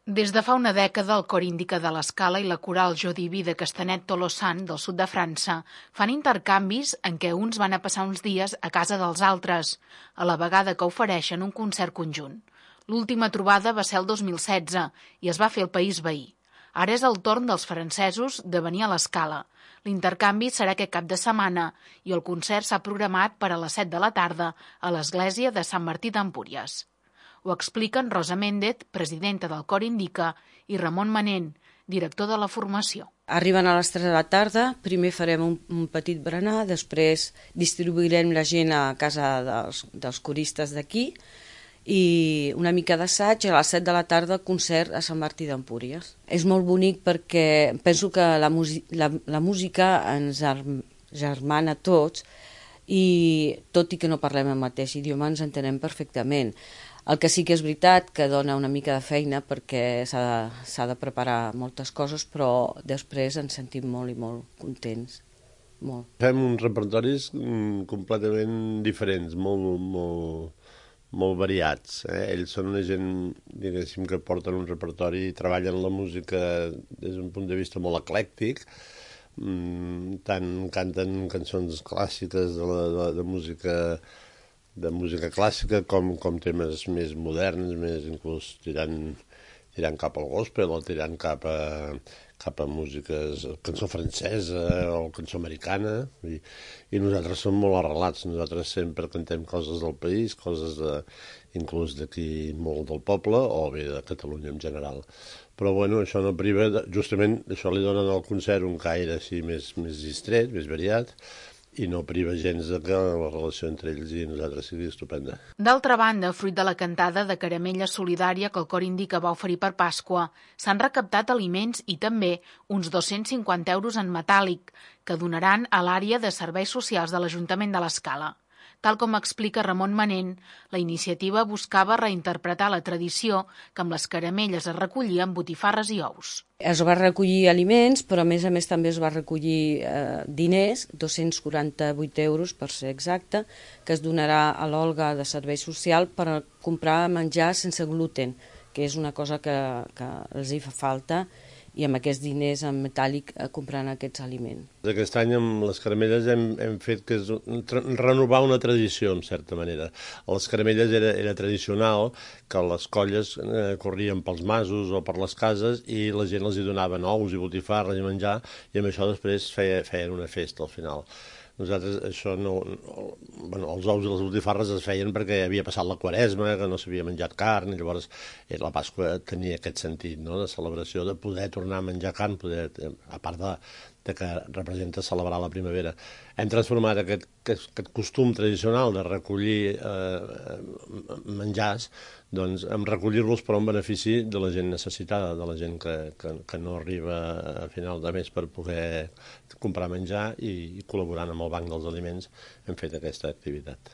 Des de fa una dècada, el Cor Índica de l'Escala i la coral Jo Diví de Castanet-Tolosan, del sud de França, fan intercanvis en què uns van a passar uns dies a casa dels altres, a la vegada que ofereixen un concert conjunt. L'última trobada va ser el 2016 i es va fer al país veí. Ara és el torn dels francesos de venir a l'Escala. L'intercanvi serà aquest cap de setmana i el concert s'ha programat per a les 7 de la tarda a l'església de Sant Martí d'Empúries. Ho expliquen Rosa Méndez, presidenta del Cor Indica, i Ramon Manent, director de la formació. Arriben a les 3 de la tarda, primer farem un petit berenar, després distribuirem la gent a casa dels coristes d'aquí i una mica d'assaig, a les 7 de la tarda concert a Sant Martí d'Empúries. És molt bonic perquè penso que la música ens germana tots i tot i que no parlem el mateix idioma ens entenem perfectament. El que sí que és veritat que dona una mica de feina perquè s'ha de preparar moltes coses, però després ens sentim molt i molt contents. Molt. Fem uns repertoris completament diferents, molt variats. Ells són una gent, diguéssim, que porten un repertori i treballen la música des d'un punt de vista molt eclèctic. Tant canten cançons clàssiques de música clàssica com temes més moderns, més inclús tirant cap al gospel o tirant cap a músiques, cançó francesa o cançó americana, i nosaltres som molt arrelats. Nosaltres sempre cantem coses del país, coses inclús d'aquí molt del poble o bé de Catalunya en general. Però bueno, això no priva, justament això li donen al concert un caire així més distret, més variat, i no priva gens de que la relació entre ells i nosaltres sigui estupenda. D'altra banda, fruit de la cantada de caramella solidària que el Cor Indica va oferir per Pasqua, s'han recaptat aliments i també uns 250 euros en metàl·lic que donaran a l'àrea de serveis socials de l'Ajuntament de l'Escala. Tal com explica Ramon Manent, la iniciativa buscava reinterpretar la tradició que amb les caramelles es recollien botifarres i ous. Es va recollir aliments, però a més també es va recollir diners, 248 euros per ser exacte, que es donarà a l'Olga de Servei Social per comprar menjar sense gluten, que és una cosa que els hi fa falta, i amb aquests diners en metàl·lic comprant aquests aliments. Aquest any amb les caramelles hem fet que és renovar una tradició, en certa manera. A les caramelles era tradicional que les colles corrien pels masos o per les cases i la gent els hi donava ous i botifarres i menjar, i amb això després feien una festa al final. Nosaltres això no... els ous i les botifarres es feien perquè havia passat la Quaresma, que no s'havia menjat carn, i llavors la Pasqua tenia aquest sentit, no?, de celebració, de poder tornar a menjar carn, a part de que representa celebrar la primavera. Hem transformat aquest costum tradicional de recollir menjars, doncs en recollir-los però en benefici de la gent necessitada, de la gent que no arriba a final de mes per poder comprar menjar, i col·laborant amb el Banc dels Aliments hem fet aquesta activitat.